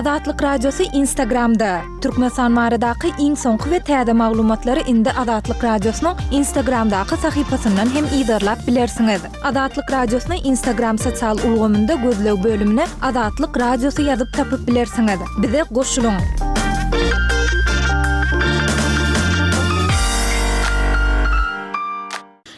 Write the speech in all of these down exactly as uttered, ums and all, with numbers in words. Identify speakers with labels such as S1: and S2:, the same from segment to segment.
S1: Azatlyk Radiosy Instagramda! Türkmenistan baradaky iň soňky we täze maglumatlary indi Azatlyk Radiosynyň Instagramdaky sahypasyndan hem yzarlap bilersiňiz. Azatlyk Radiosyny Instagram sosial ulgamynda gözleg bölümine Azatlyk Radiosy ýazyp tapyp bilersiňiz. Bize goşulyň!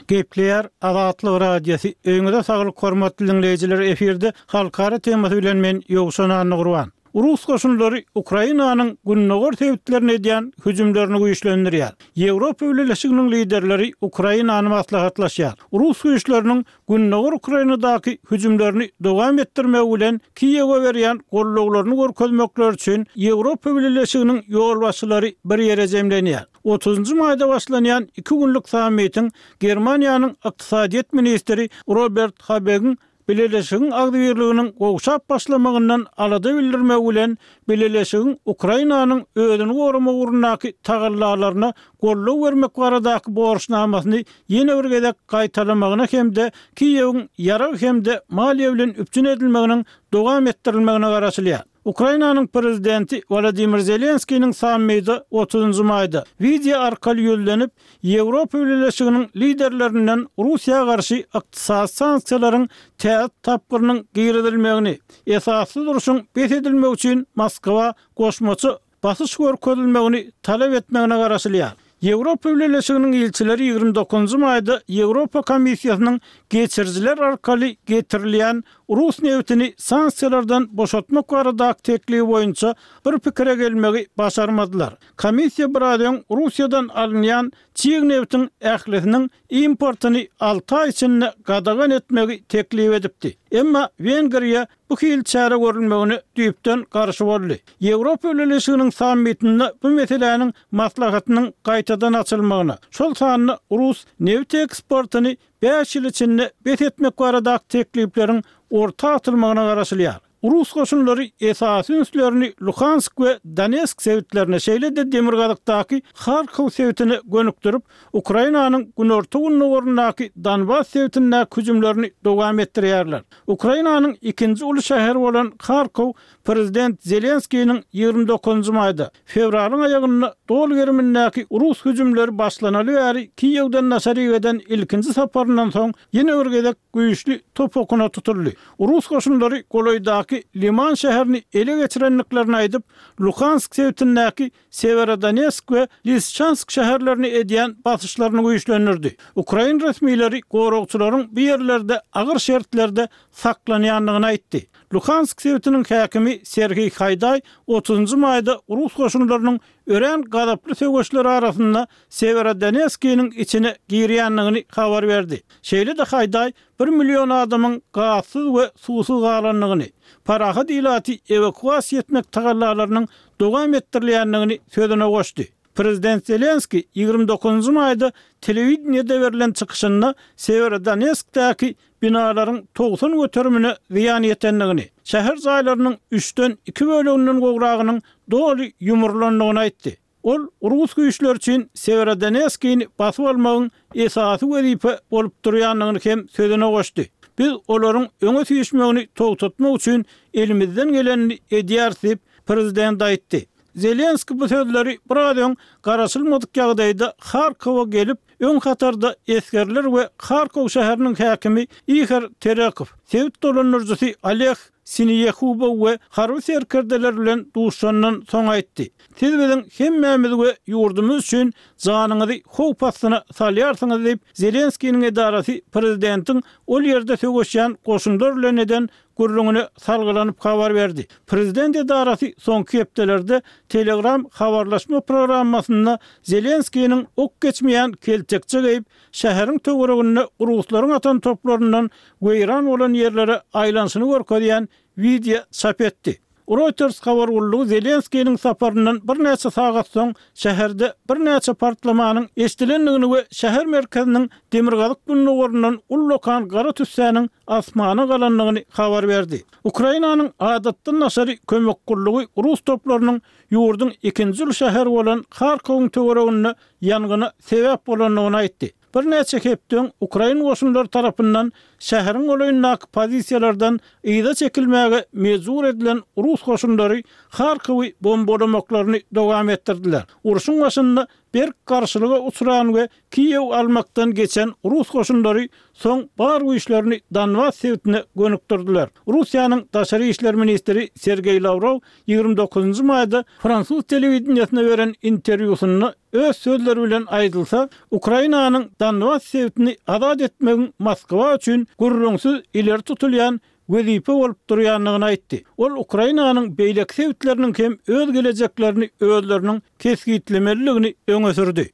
S2: Gepleýär Azatlyk Radiosy, Öýüňize saglyk hormatly diňleýjiler efirde halkara temasy bilen men Ýowşan Annagurban. Rus goşunlary Ukrainanyň gündogar sebitlerine edýän hüjümlerini güýçlendirýär. Ýewropa Bileleşiginiň liderleri Ukrainany maslahatlaşýar. Rus güýçleriniň gündogar Ukrainadaky hüjümlerini dowam etdirmegi bilen Kiýewe berýän gollawlaryny görkezmekleri üçin Ýewropa Bileleşiginiň ýolbaşçylary bir ýere jemlenýär. Otuzynjy maýda başlanýan iki günlük sammitiň Germaniýanyň ykdysadyýet ministri Robert Habegiň Bileleşigiň agzybirliginiň gowşap başlamagyndan alada bildirmegi bilen Bileleşigiň Ukrainanyň özüni goramak ugrundaky tagallalaryna goldaw bermek baradaky borçnamasyny ýene bir gezek gaýtalamagyna hem-de Kiýewiň ýarag hem-de maliýe bilen üpjün edilmeginiň dowam etdirilmegine garaşylýar. Ukrainanyň prezidenti Wolodymyr Zelenskiniň sammite otuzynjy maýda wideo arkaly ýüzlenip, Ýewropa Bileleşiginiň liderlerinden Russiýa garşy ykdysady sanksiýalaryň täze tapgyrynyň girizilmegini, esassyz urşuň bes edilmegi üçin Moskwa goşmaça basyş görkezilmegini talap etmegine garaşylýar. Ýewropa Bileleşiginiň ilçileri ýigrimi dokuzynjy maýda Ýewropa Komissiýasynyň geçirijiler arkaly getirilýän rus nebitini sanksiýalardan boşatmak baradaky teklibi boýunça bir pikire gelmegi başarmadylar. Komissiýa biraz öň Russiýadan alynýan çig nebitiň ählisiniň importyny alty aý içinde gadagan etmegi teklip edipdi. Emma Wengriýa bu hili çäre görülmegine düýpden garşy boldy. Ýewropa Bileleşiginiň sammitinde bu meseläniň maslahatynyň gaýtadan açylmagyna, şol sanda rus nebit eksportyny bäş ýyl içinde bes etmek baradaky teklipleriň orta atylmagyna garaşylýar. Rus goşunlary esasy ünslerini Luhansk we Donetsk sebitlerine, şeýle-de demirgazykdaky Harkow sebitine gönükdirip, Ukrainanyň günorta-gündogaryndaky Donbas sebitindäki hüjümlerini dowam etdirýärler. Ukrainanyň ikinji uly şäheri bolan Harkow prezident Zelenskiniň ýigrimi dokuzynjy maýda, fewralyň aýagynda doly gerimindäki rus hüjümleri başlanaly bäri Kiýewden daşaryk eden ilkinji saparyndan soň ýene bir gezek güýçli top okuna tutuldy. Rus goşunlary golaýdaky Liman şäherini ele geçirendiklerini aýdyp, Luhansk sebitindäki Sewerodonetsk we Lisçansk şäherlerine edýän basyşlaryny güýçlendirdi. Ukrain resmileri goragçylaryň bu ýerlerde agyr şertlerde saklanýandygyny aýtdy. Luhansk sebitiniň häkimi Serhiý Haýdaý otuzynjy maýda rus goşunlarynyň örän gazaply söweşler arasynda Sewerodonetskiniň içine girýändigini habar berdi. Şeýle-de Haýdaý bir million adamyň gazsyz we suwsuz galandygyny, parahat ilaty ewakuasiýa etmek tagallalarynyň dowam etdirilýändigini sözüne goşdy. Prezident Zelenskiý ýigrimi dokuzynjy maýda telewideniýede berlen çykyşynda Sewerodonetskdäki binalaryň togsan göterimine zyýan ýetendigini, şäher jaýlarynyň üçden iki böleginden gowragynyň doly ýumrulandygyny aýtdy. Ol rus güýçleri üçin Sewerodonetskini basyp almagyň esasy wezipe bolup durýandygyny hem sözüne goşdy. Biz olaryň öňe süýşmegini togtatmak üçin elimizden gelenini edýäris diýip, prezident aýtdy. Zelenskiý bu sözleri biraz öň garaşylmadyk ýagdaýda Harkowa gelip, öň hatarda esgerler we Harkow şäheriniň häkimi Ihor Terekow, sebit dolandyryjysy Oleg Sineýehubow we harby serkerdeler bilen duşandan soň aýtdy. Siz biziň hemmämiz we ýurdumyz üçin janyňyzy howp astyna salýarsyňyz diýip, Zelenskiniň edarasy prezidentiň ol ýerde söweşýän goşunlar bilen eden gürrüňine salgylanyp habar berdi. Prezident edarasy soňky hepdelerde Telegram habarlaşma programmasynda Zelenskiniň ok geçmeýän keltekçe geýip, şäheriň töwereginde ruslaryň atan toplaryndan weýran bolan ýerlere aýlanyşyny görkezýän wideo çap etdi. Reuters habar gullugy Zelenskiniň saparyndan birnäçe sagat soň şäherde birnäçe partlamanyň eşidilendigini we şäher merkeziniň demirgazyk-gündogaryndan ullakan gara tüssäniň asmana galandygyny habar berdi. Ukrainanyň adatdan daşary kömek gullugy rus toplarynyň ýurduň ikinji uly şäheri bolan Harkowyň töwereginde ýangyna sebäp bolandygyny aýtdy. Birnäçe hepde öň ukrain goşunlary tarapyndan şäheriň golaýyndaky pozisiýalardan yza çekilmäge mejbur edilen rus goşunlary Harkowy bombalamaklaryny dowam etdirdiler. Urşuň başynda berk garşylyga uçran we Kiýew almakdan geçen rus goşunlary soň bar güýçlerini Donbas sebitine gönükdirdiler. Russiýanyň daşary işler ministri Sergeý Lawrow ýigrimi dokuzynjy maýda fransuz telewideniýesine beren interwýusynda öz sözleri bilen aýdylsa, Ukrainanyň Donbas sebitini azat etmegiň Moskwa üçin gürrüňsiz ileri tutulýan wezipe bolup durýandygyny aýtdy. Ol Ukrainanyň beýleki sebitleriniň hem öz gelejeklerini özleriniň kesgitlemelidigini öňe sürdi.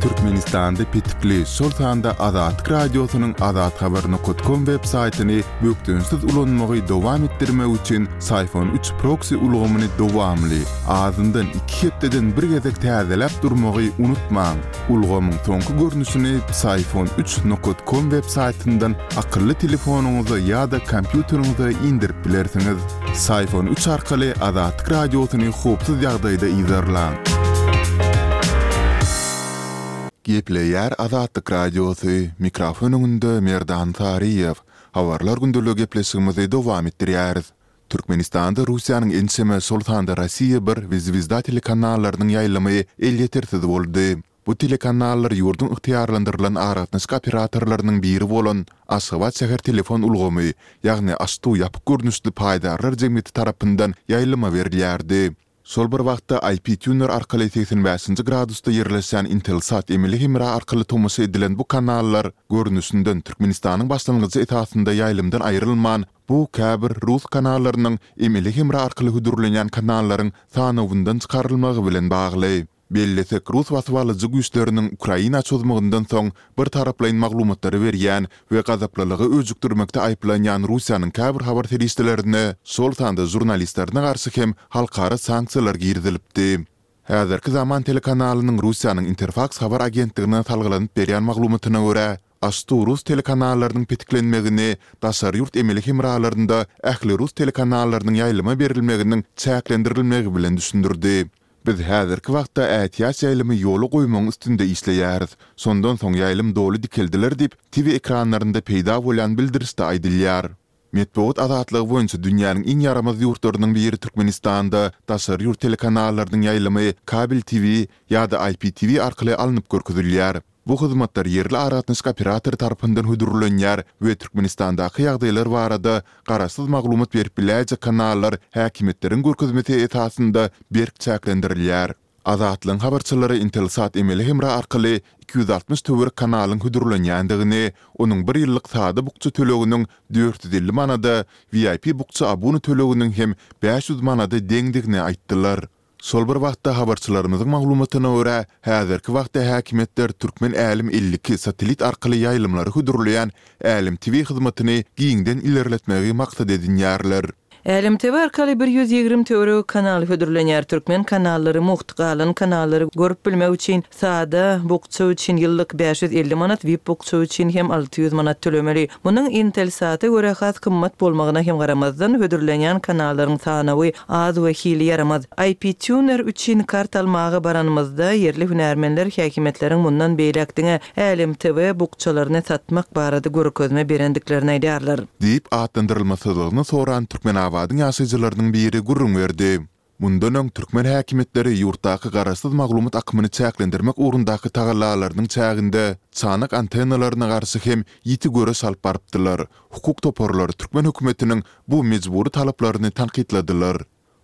S3: Türkmenistanda petikli, şol sanda Azatlyk Radiosynyň azathabar nokat kom web saýtyny bökdençsiz ulanmagy dowam etdirmek üçin Syfon üç proksi ulgamyny dowamly, azyndan iki hepdeden bir gezek täzeläp durmagy unutmaň. Ulgamyň soňky görnüşini Psiphon üç nokat kom web saýtyndan akylly telefonyňyza ýa-da kompýuteriňize indirip bilersiňiz. Psiphon üç arkaly Azatlyk Radiosyny howpsuz ýagdaýda yzarlaň. Gepleýär Azatlyk Radiosy, mikrofon öňünde Merdan Saryýew. Habarlar gündeligi gepleşigimizi dowam etdirýäris. Türkmenistanda Russiýanyň ençeme, şol sanda Rossiýa bir we Zwezda telekanallarynyň ýaýlymy elýetersiz boldy. Bu telekanallar ýurduň ygtyýarlandyrylan aragatnaşyk operatorlarynyň biri bolan Aşgabat şäher telefon ulgamy, ýagny AŞTU ýapyk görnüşli paýdarlar jemgyýeti tarapyndan ýaýlyma berilýärdi. Şol bir wagtda I P Tuner arkaly segsen bäşinji gradusda ýerleşýän Intelsat emeli hemra arkaly tomaşa edilen bu kanallar görnüşinden Türkmenistanyň başlangyjy esasynda ýaýlymdan aýrylman, bu käbir rus kanallarynyň emeli hemra arkaly hödürlenýän kanallaryň sanawyndan çykarylmagy bilen bagly. Bellesek, rus basybalyjy güýçleriniň Ukraina çozmagyndan soň bir taraplaýyn maglumatlary berýän we gazaplylygy öjükdirmekde aýyplanýan Russiýanyň käbir habar serişdelerine, şol sanda žurnalistlerine garşy hem halkara sanksiýalar girizilipdi. Häzirki zaman telekanalynyň Russiýanyň Interfaks habar agentligine salgylanyp berýän maglumatyna görä, AŞTU rus telekanallarynyň petiklenmegini daşary ýurt emeli hemralarynda ähli rus telekanallarynyň ýaýlyma berilmeginiň çäklendirilmegi bilen düşündirdi. Biz häzirki wagtda ätiýaç ýaýlymy ýola goýmagyň üstünde işleýäris. Şondan soň ýaýlym doly dikeldiler diýip, T V ekranlarynda peýda bolýan bildirişde aýdylýar. Metbugat azatlygy boýunça dünýäniň iň ýaramaz ýurtlarynyň biri Türkmenistanda daşary ýurt telekanallarynyň ýaýlymy kabel T V ýa-da I P T V arkaly alnyp görkezilýär. Bu hyzmatlar ýerli aragatnaşyk operatory tarapyndan hödürlenýär we Türkmenistandaky ýagdaýlar barada garaşsyz maglumat berip biläýjek kanallar häkimiýetleriň görkezmesi esasynda berk çäklendirilýär. Azatlygyň habarçylary Intelsat emeli hemra arkaly iki ýüz altmyş töwerek kanalyň hödürlenýändigini, onuň bir ýyllyk sada bukja töleginiň dört ýüz elli manada, V I P bukja abuna töleginiň hem bäş ýüz manada deňdigini aýtdylar. Şol bir wagtda habarçylarymyzyň maglumatyna görä, häzirki wagtda häkimiýetler Türkmen Älem elli iki satellit arkaly ýaýlymlary hödürleýän Älem T V hyzmatyny giňden ilerletmegi maksat edinýärler.
S4: Älem T V arkaly bir ýüz ýigrimi töweregi kanal hödürlenýär. Türkmen kanallary mugt, galan kanallary görüp bilmek üçin sada bukja üçin ýyllyk bäş ýüz elli manat, V I P bukja üçin hem alty ýüz manat tölemeli. Munuň Intelsata görä has gymmat bolmagyna hem garamazdan hödürlenýän kanallaryň sanawy az we hili ýaramaz. I P Tuner üçin kart almaga baranymyzda ýerli hünärmenler häkimiýetleriň mundan beýläk diňe Älem T V bukjalaryny satmak barada görkezme berendiklerini aýdarlar.
S3: Diýip atlandyrylmasyzlygyny soran Türkmenabadyň ýaşaýjylarynyň biri gürrüň berdi. Mundan öň türkmen häkimiýetleri ýurtdaky garaşsyz maglumat akymyny çäklendirmek ugrundaky tagallalarynyň çäginde çanak antennalaryna garşy hem ýiti göreş alyp barypdylar. Hukuk toparlary türkmen hökümetiniň bu mejbury talaplaryny tankytladylar.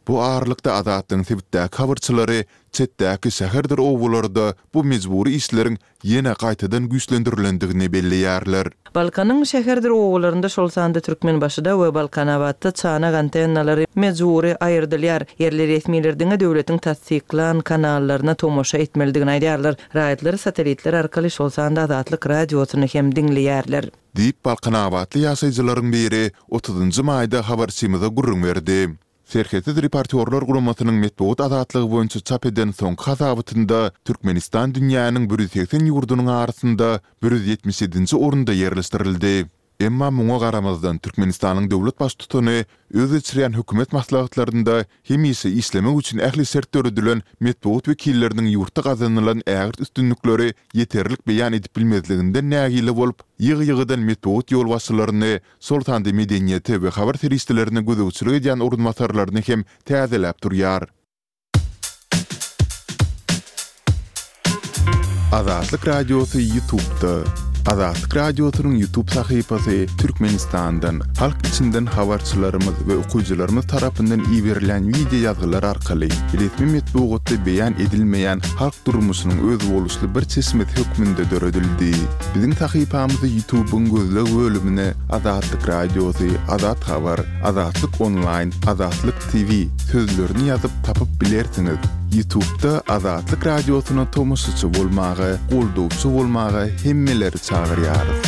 S3: Bu aralykda Azatlygyň sebitdäki habarçylary çetdäki şäherdir obalarda bu mejbury işleriň ýene gaýtadan güýçlendirilendigini belleýärler.
S4: Balkanyň şäherdir obalarynda şol sanda Türkmenbaşyda we Balkanabatda çanak antennalary mejbury aýyrdylýar. Ýerli resmiler diňe döwletiň tassyklan kanallaryna tomaşa etmelidigini aýdýarlar. Raýatlar satellitler arkaly şol sanda Azatlyk radiosyny hem diňleýärler.
S3: Diýip Balkanabatly ýaşaýjylaryň biri otuzynjy maýda habarçymyza gürrüň berdi. Serhetsiz reportýorlar guramasynyň metbugat azatlygy boýunça çap eden soňky hasabatynda Türkmenistan dünýäniň bir ýüz segsen ýurdunyň arasynda bir ýüz ýetmiş ýedinji orunda ýerleşdirildi. Emma muňa garamazdan, Türkmenistanyň döwlet baştutany öz geçirýän hökümet maslahatlarynda hemişe işlemek üçin ähli şert döredilen metbugat wekilleriniň ýurtda gazanylan ägirt üstünlikleri ýeterlik beýan edip bilmezliginden nägile bolup, ýygy-ýygydan metbugat ýolbaşçylaryny, şol sanda medeniýete we habar serişdelerine gözegçilik edýän orunbasarlaryny hem täzeläp durýar. Azatlyk Radiosy Ýutubda. Azatlyk Radiosynyň Ýutub sahypasy Türkmenistandan, halk içinden habarçylarymyz we okyjylarymyz tarapyndan iberilýän wideo ýazgylar arkaly resmi metbugatda beýan edilmeýän halk durmuşynyň özboluşly bir çeşmesi hökmünde döredildi. Biziň sahypamyzy Ýutubyň gözleg bölümine Azatlyk Radiosy, Azat Habar, Azatlyk Onlaýn, Azatlyk TV sözlerini ýazyp tapyp bilersiňiz. Ýutubda Azatlyk Radiosyna tomaşaçy bolmaga, goldawçy bolmaga hemmeleri çagyrýarys.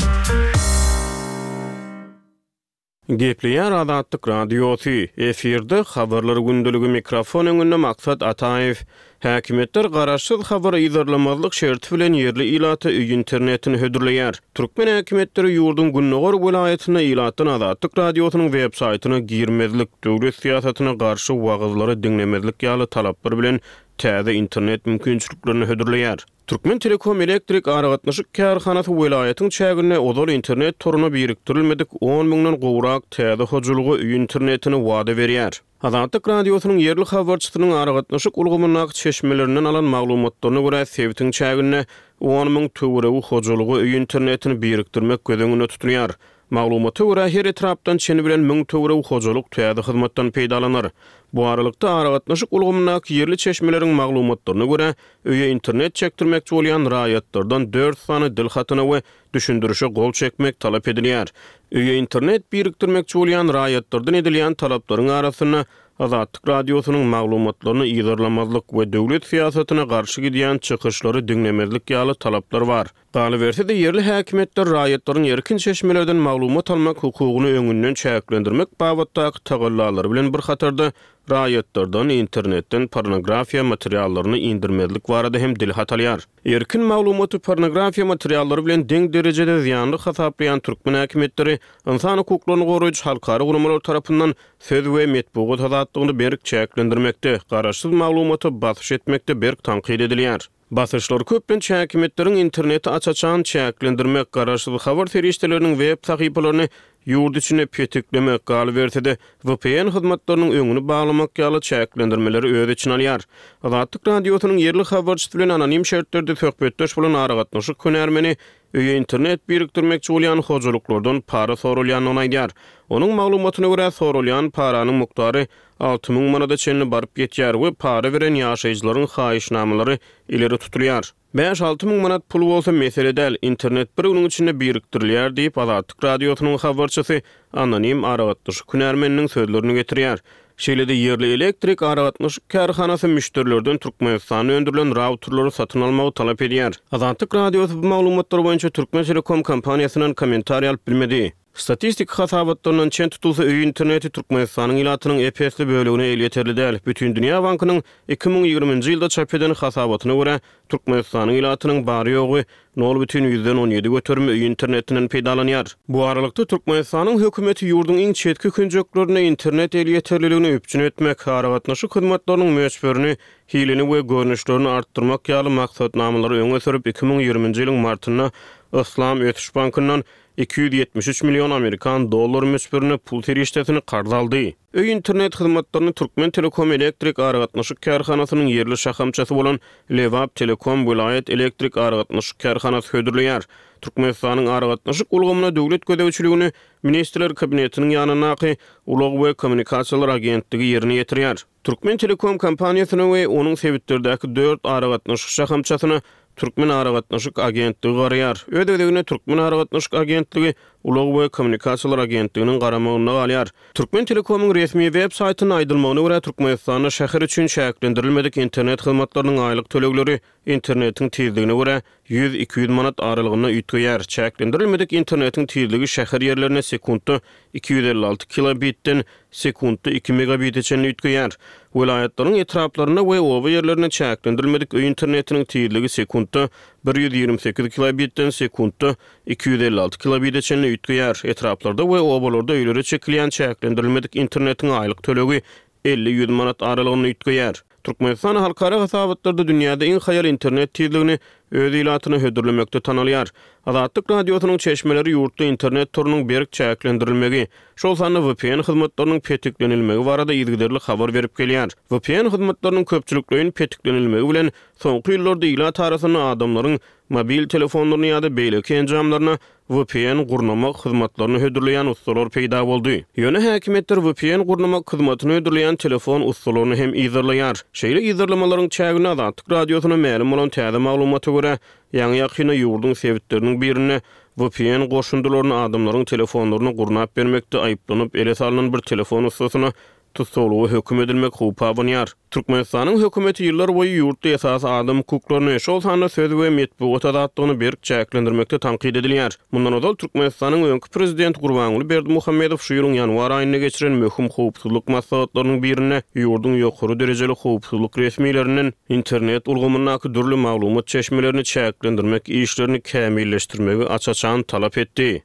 S5: Gepleýär Azatlyk Radiosy, efirde Habarlar gündeligi mikrofon öňünde Maksat Ataýew. Häkimiýetler garaşsyz habary yzarlamazlyk şerti bilen ýerli ilata öý internetini hödürleýär. Türkmen häkimiýetleri ýurduň gündogar welaýatynda ilatdan Azatlyk Radiosynyň web saýtyna girmezlik, döwlet syýasatyna garşy wagyzlary diňlemezlik ýaly talaplar bilen täze internet mümkinçiliklerini hödürleýär. Türkmen Telekom elektrik aragatnaşyk kärhanasy welaýatyň çäginde ozal internet toruna birikdirilmedik on müňden gowrak täze hojalyga öý internetini wada berýär. Azatlyk Radiosynyň ýerli habarçysynyň aragatnaşyk ulgamyndaky çeşmelerinden alan maglumatlaryna görä, sebitiň çäginde on müň töweregi hojalyga öý internetini birikdirmek göz öňünde tutulýar. Maglumata görä, her etrapdan çeni bilen müň töweregi hojalyk täze hyzmatdan peýdalanar. Bu aralykda aragatnaşyk ulgamyndaky ýerli çeşmeleriň maglumatlaryna görä, öýe internet çekdirmekçi bolýan raýatlardan dört sany dil hatyna we düşündirişe gol çekmek talap edilýär. Öýe internet birikdirmekçi bolýan raýatlardan edilýän talaplaryň arasynda Azatlyk Radiosynyň maglumatlaryny yzarlamazlyk we döwlet syýasatyna garşy gidýän çykyşlary diňlemezlik ýaly talaplar bar. Galyberse-de ýerli häkimiýetler raýatlaryň erkin çeşmelerden maglumat almak hukugyny öňünden çäklendirmek babatdaky tagallalary bilen bir hatarda raýatlardan internetden pornografiýa materiallaryny indirmezlik barada hem dil hat alýar. Erkin maglumaty pornografiýa materiallary bilen deň derejede zyýanly hasaplaýan türkmen häkimiýetleri ynsan hukuklaryny goraýjy halkara guramalar tarapyndan söz we metbugat azatlygyny berk çäklendirmekde, garaşsyz maglumata basyş etmekde berk tankyt edilýär. Basyşlar köplenç häkimiýetleriň interneti aç-açan çäklendirmek, garaşsyz habar serişdeleriniň web sahypalaryny ýurt içinde petiklemek, galyberse-de V P N hyzmatlarynyň öňüni baglamak ýaly çäklendirmeleri öz içine alýar. Azatlyk Radiosynyň ýerli habarçysy bilen anonim şertlerde söhbetdeş bolan aragatnaşyk hünärmeni öýe internet birikdirmekçi bolýan hojalyklardan para sorulýandygyny aýdýar. Onuň maglumatyna görä sorulýan paranyň mukdary alty müň manada çenli baryp ýetýär we para beren ýaşaýjylaryň haýyşnamalary ileri tutulýar. Bäş alty müň manat pul bolsa mesele däl, internet bir günüň içinde birikdirilýär diýip Azatlyk Radiosynyň habarçysy anonim aragatnaşyk hünärmeniniň sözlerini getirýär. Şeýle-de ýerli elektrik aragatnaşyk kärhanasy müşderilerden Türkmenistanda öndürilen routerleri satyn almagy talap edýär. Azatlyk Radiosy bu maglumatlar boýunça Türkmen Telekom kompaniýasyndan kommentariý alyp bilmedi. Statistik hasabatlaryndan çen tutulsa öý interneti Türkmenistanyň ilatynyň ep-esli bölegine elýeterli däl. Bütün Dünýä Bankynyň iki müň ýigriminji ýylda çap eden hasabatyna görä Türkmenistanyň ilatynyň bary ýogy nol bütin ýüzden on ýedi göterim öý internetinden peýdalanýar. Bu aralykda Türkmenistanyň hökümeti ýurduň iň çetki künjeklerinde internet elýeterliligini üpjün etmek, aragatnaşyk hyzmatlarynyň möçberini, hilini we görnüşlerini artdyrmak ýaly maksatnamalary öňe sürüp iki müň ýigriminji ýylyň martynda Yslam Ösüş Bankyndan iki ýüz ýetmiş üç million amerikan dollar möçberinde pul serişdesini karz aldy. Öý internet hyzmatlaryny Türkmen Telekom elektrik aragatnaşyk kärhanasynyň ýerli şahamçasy bolan Lebap Telekom welaýat elektrik aragatnaşyk kärhanasy hödürleýär. Türkmenistanyň aragatnaşyk ulgamyna döwlet gözegçiligini Ministrler Kabinetiniň ýanyndaky Ulag we kommunikasiýalar agentligi ýerine ýetirýär. Türkmen Telekom kompaniýasyna we onuň sebitlerdäki dört aragatnaşyk şahamçasyna Türkmen aragatnaşyk agentligi garaýar. Öz gezeginde Türkmen aragatnaşyk agentligi Ulag we kommunikasiýalar agentliginiň garamagynda galýar. Türkmen Telekomyň resmi web saýtynda aýdylmagyna görä Türkmenistanda şäher üçin çäklendirilmedik internet hyzmatlarynyň aýlyk tölegleri internetiň tizligine görä ýüz iki ýüz manat aralygynda üýtgeýär. Çäklendirilmedik internetiň tizligi şäher ýerlerine sekuntda iki ýüz elli alty kilobitden sekuntda iki megabite çenli üýtgeýär. Welaýatlaryň etraplarynda we oba ýerlerinde çäklendirilmedik öý internetiniň tizligi sekuntda bir ýüz ýigrimi sekiz kilobitden sekuntda iki ýüz elli alty kilobite çenli üýtgeýär. Etraplarda we obalarda öýlere çekilýän çäklendirilmedik internetiň aýlyk tölegi elli-ýüz manat aralygynda üýtgeýär. Türkmenistan halkara hasabatlarda dünýäde iň haýal internet tizligini öz ilatyna hödürlemekde tanalýar. Azatlyk Radiosynyň çeşmeleri ýurtda internet torunyň berk çäklendirilmegi, şol sanda V P N hyzmatlarynyň petiklenilmegi barada yzygiderli habar berip gelýär. V P N hyzmatlarynyň köpçülikleýin petiklenilmegi bilen soňky ýyllarda ilat arasynda adamlaryň mobil telefonlaryny ýa-da beýleki enjamlaryna V P N gurnamak hyzmatlaryny hödürleýän ustalar peýda boldy. Ýöne häkimiýetler V P N gurnamak hyzmatyny hödürleýän telefon ustalaryny hem yzarlaýar. Şeýle yzarlamalaryň çäginde Azatlyk Radiosyna mälim bolan täze maglumata görä, ýaňy-ýakynda ýurduň sebitleriniň birinde V P N goşundylaryny adamlaryň telefonlaryny gurnap bermekde aýyplanyp ele salynan bir telefon ustasyna tussaglyga höküm edilmek howpy abanýar. Türkmenistanyň hökümeti ýyllar boýy ýurtda esasy adam hukuklaryny, şol sanda söz we metbugat azatlygyny berk çäklendirmekde tankyt edilýär. Mundan ozal Türkmenistanyň öňki prezidenti Gurbanguly Berdimuhamedow şu ýylyň ýanwar aýynda geçiren möhüm howpsuzlyk maslahatlarynyň birinde ýurduň ýokary derejeli howpsuzlyk resmilerinden internet ulgamyndaky dürli maglumat çeşmelerini çäklendirmek işlerini kämilleşdirmegi aç-açan talap etdi.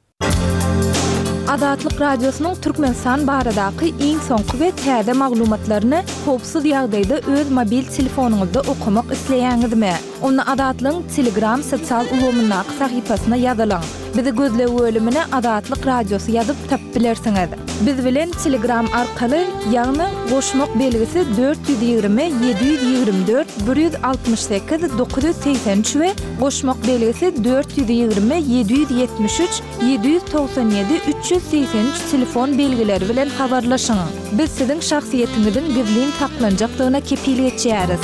S1: Azatlyk Radiosynyň Türkmenistan baradaky iň soňky we täze maglumatlaryny howpsuz ýagdaýda öz mobil telefonyňyzda okamak isleýäňizmi? Onda Azatlygyň Telegram sosial ulgamyndaky sahypasyna ýazylyň. Bizi gözleg bölümine Azatlyk Radiosy ýazyp tapyp bilersiňiz. Biz bilen Telegram arkaly, ýagny goşmak belgisi dört ýüz ýigrimi, ýedi ýüz ýigrimi dört, bir ýüz altmyş sekiz, dokuz ýüz segsen üç we goşmak belgisi dört ýüz ýigrimi, ýedi ýüz ýetmiş üç, ýedi ýüz togsan ýedi, üç ýüz segsen üç telefon belgileri bilen habarlaşyň. Biz siziň şahsyýetiňiziň gizlin saklanjakdygyna kepil geçýäris.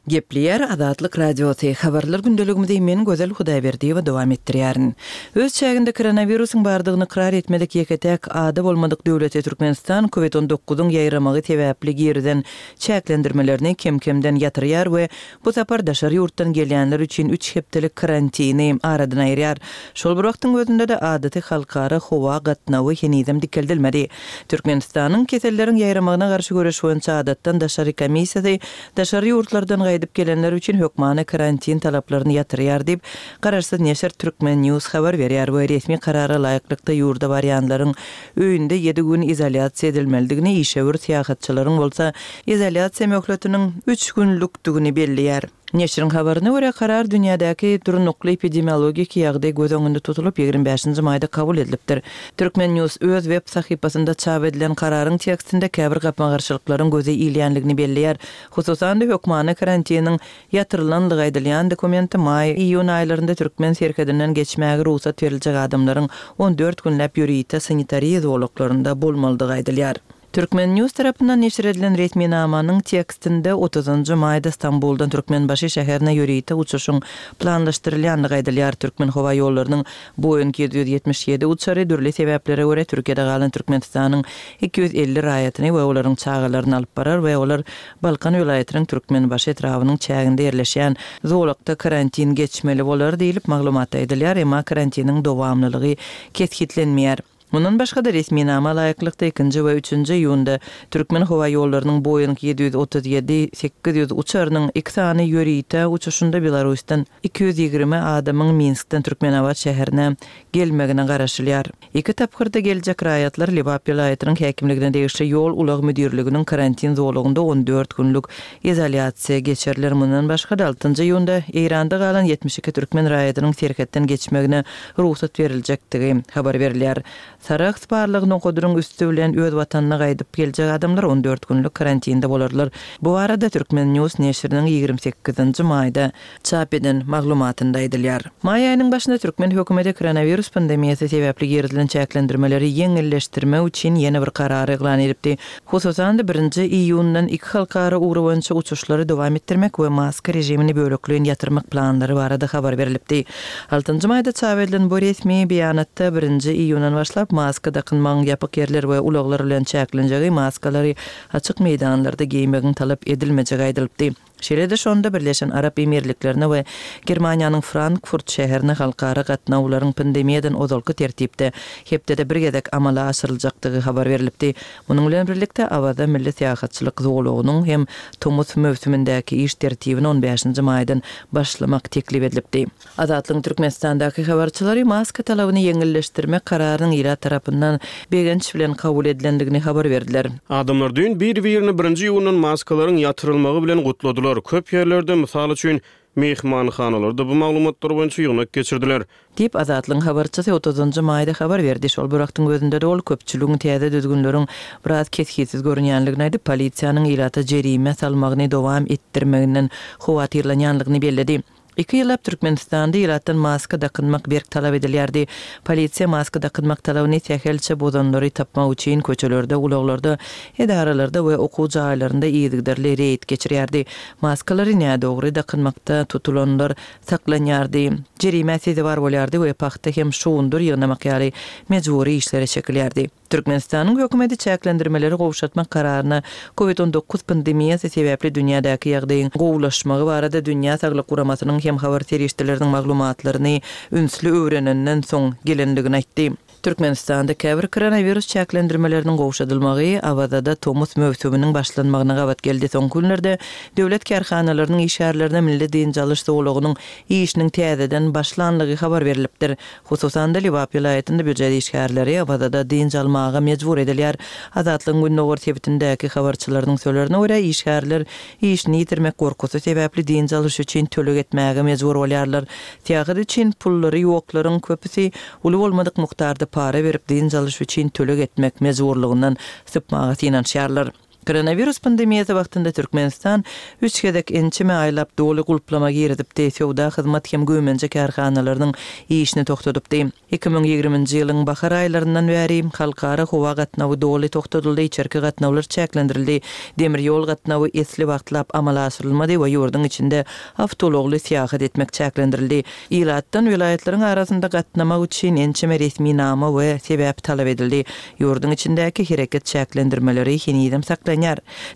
S4: Gepleýär Azatlyk Radiosy. Habarlar gündeligimizi men Gözel Hudaýberdiýewa dowam etdirýärin. Öz çäginde koronawirusyň bardygyny ykrar etmedik ýeke-täk ada bolmadyk döwleti Türkmenistan COVID on dokuzyň ýaýramagy sebäpli girden çäklendirmelerini kem-kemden ýatyrýar we bu sapar daşary ýurtdan gelýänler üçin üç hepdelik karantini aradan aýyrýar. Şol bir wagtyň özünde-de adaty halkara howa gatnawy henizem dikeldilmedi. Türkmenistanyň keselleriň ýaýramagyna garşy göreş boýunça adatdan daşary komissiýasy daşary ýurtlardan gaýdyp gelenler üçin hökmany karantin talaplaryny ýatyrýar diýip, Garaşsyz neşir Türkmen News habar berýär we resmi karara laýyklykda ýurda barýanlaryň öýünde ýedi gün izolýasiýa edilmelidigini, işewür syýahatçylaryň bolsa izolýasiýa möhletiniň üç günlükdigini belleýär. Neşiriň habaryna görä karar dünýädäki durnukly epidemiologik ýagdaý göz öňünde tutulyp ýigrimi bäşinji maýda kabul edilipdir. Türkmen News öz web sahypasynda çap edilen kararyň tekstinde käbir gapma-garşylyklaryň göze ilýänligini belleýär. Hususan-da hökmany karantiniň ýatyrylanlygy aýdylýan dokumenti maý iýun aýlarynda Türkmen serhedinden geçmäge rugsat beriljek adamlaryň on dört günläp ýörite sanitariýa zolaklarynda bolmalydygy aýdylýar. Türkmen News tarapyndan neşir edilen resminamanyň tekstinde otuzynjy maýda Stambuldan Türkmenbaşy şäherine ýörite uçuşyň planlaşdyrylýanlygy aýdylýar. Türkmen howa ýollarynyň Boeing ýedi ýüz ýetmiş ýedi uçary dürli sebäplere görä Türkiýede galan Türkmenistanyň iki ýüz elli raýatyny we olaryň çagalaryny alyp barar we olar Balkan welaýatynyň Türkmenbaşy etrabynyň çäginde ýerleşýän zolakda karantin geçmeli bolar diýlip maglumatda aýdylýar, emma karantiniň dowamlylygy kesgitlenmeýär. Mundan başga-da resminama laýyklykda ikinji we üçünji iýunda Türkmen howa ýollarynyň Boeing ýedi ýüz otuz ýedi sekiz ýüz uçarynyň iki sany ýörite uçuşynda Belarusdan iki ýüz ýigrimi adamyň Minskden Türkmenabat şäherine gelmegine garaşylýar. Iki tapgyrda geljek raýatlar Lebap welaýatynyň häkimligine degişli ýol ulag müdirliginiň karantin zolagynda on dört günlük izolýasiýa geçiriler. Mundan başga-da altynjy iýunda Eýranda galan ýetmiş iki türkmen raýatynyň serhetden geçmegine rugsat beriljekdigi habar berilýär. Sarahs barlygy nokadynyň üstü bilen öz watanyna gaýdyp geljek adamlar on dört günlük karantinde bolarlar. Bu arada Türkmen News neşiriniň ýigrimi sekizinji maýda çap eden maglumatynda aýdylýar. Maý aýynyň başynda Türkmen hökümeti koronawirus pandemiýasy sebäpli girizilen çäklendirmeleri ýeňilleşdirmek üçin ýene bir karary yglan edipdi. Hususan-da birinji iýundan iki halkara ugry boýunça uçuşlary dowam etdirmek we maska rejimini bölekleýin ýatyrmak planlary barada habar berilipdi. Altynjy maýda çap edilen bu resmi beýanatda birinji iýundan başlap maska dakynmagyň ýapyk ýerler we ulaglar bilen çäklenjegi maskalary açyk meýdanlarda geýmegiň talap edilmejegi aýdylypdy. Şeýle-de şonda Birleşen Arap Emirliklerine we Germaniýanyň Frankfurt şäherine halkara gatnawlaryň pandemiýadan ozalky tertipde hepdede bir gezek amala aşyryljakdygy habar berlipdi. Munuň bilen birlikde, Awaza milli syýahatçylyk zolagynyň hem tomus möwsümindäki iş tertibini on bäşinji maýdan başlamak teklip edilipdi. Azatlygyň Türkmenistandaky habarçylary maska talabyny ýeňilleşdirmek kararynyň ilat tarapyndan begenç bilen kabul edilendigini habar berdiler.
S5: Adamlar düýn bir-birini birinji iýundan maskalaryň ýatyrylmagy bilen gutladylar. Köp ýerlerde, mysal üçin, myhmanhanalarda bu maglumatlar boýunça ýygnak geçirdiler.
S4: Diýip, Azatlygyň habarçysy otuzynjy maýda habar berdi. Şol bir wagtyň özünde-de ol köpçüligiň täze düzgünleriň biraz kesgitsiz görünýänligini aýdyp, polisiýanyň ilata jerime salmagyny dowam etdirmeginden howatyrlanýanlygyny belledi. Iki ýyllap Türkmenistanda ilatdan maska dakynmak berk talap edilýärdi. Polisiýa maska dakynmak talabyny sähelçe bozanlary tapmak üçin köçelerde, ulaglarda, edaralarda we okuw jaýlarynda yzygiderli reýd geçirýärdi. Maskalary nädogry dakynmakda tutulanlar saklanýardy, jerimä sezewar bolýardy we pagta hem şugundyr ýygnamak ýaly mejbury işlere çekilýärdi. Türkmenistanyň hökümeti çäklendirmeleri gowşatmak kararyna Covid on dokuz pandemiýasy sebäpli dünýädäki ýagdaýyň gowulaşmagy barada Dünýä Saglyk Guramasynyň hem habar serişdeleriniň maglumatlaryny ünsli öwrenenden soň gelendigini aýtdy. Türkmenistanda käbir koronawirus çäklendirmeleriniň gowşadylmagy Awazada tomus möwsüminiň başlanmagyna gabat geldi. Soňky günlerde döwlet kärhanalarynyň işgärlerine milli dynç alyş zolagynyň işiniň täzeden başlanlygy habar berlipdir. Hususan-da, Lebap welaýatynda býujet işgärleri Awazada dynç almaga mejbur edilýär. Azatlygyň gündogar sebitindäki habarçylarynyň sözlerine görä, işgärler işini ýitirmek gorkusy sebäpli dynç alyş üçin töleg etmäge mejbur bolýarlar. Syýahat üçin pullary ýoklaryň köpüsi uly bolmadyk mukdarda para berip dynç alyş üçin töleg etmek mejburlygyndan sypmaga synanyşýarlar. Koronawirus pandemiýasy wagtynda Türkmenistan üç gezek ençeme aýlap doly gulplama girizipdi, söwda, hyzmat hem güýmenje kärhanalarynyň işini togtadypdy. Iki müň ýigriminji ýylyň bahar aýlaryndan bäri halkara howa gatnawy doly togtadyldy, içerki gatnawlar çäklendirildi, demir ýol gatnawy esli wagtlap amala aşyrylmady we ýurduň içinde awtoulagly syýahat etmek çäklendirildi. Ilatdan welaýatlaryň arasynda gatnamak üçin ençeme resminama we sebäp talap edildi. Ýurduň içindäki hereket çäklendirmeleri henizem saklanýar.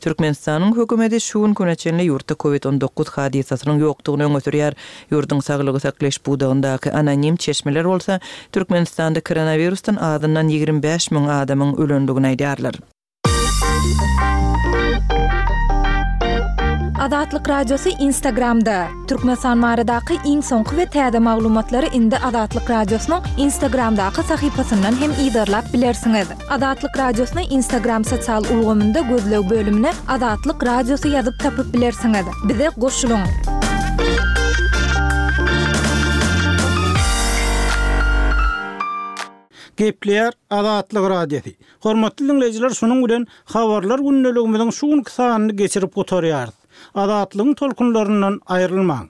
S4: Türkmenistanyň hökümeti şu günki güne çenli ýurtda Covid on dokuz hadysasynyň ýokdugyny öňe sürýär. Ýurduň saglygy saklaýyş pudagyndaky anonim çeşmeler bolsa Türkmenistanda koronawirusdan azyndan ýigrimi bäş müň adamyň ölendigini aýdýarlar.
S1: Azatlyk Radiosy Instagramda. Türkmenistan baradaky iň soňky we täze maglumatlary indi Azatlyk Radiosynyň Instagramdaky sahypasyndan hem yzarlap bilersiňiz. Azatlyk Radiosyny Instagram sosial ulgamynda gözleg bölümine Azatlyk Radiosy ýazyp tapyp bilersiňiz. Bize goşulyň!
S2: Gepleýär Azatlyk Radiosy. Hormatly diňleýjiler, şunuň bilen habarlar gündeligimiziň şu günki sanyny geçirip gutarýarys. Azatlygyň tolkunlaryndan aýrylmaň.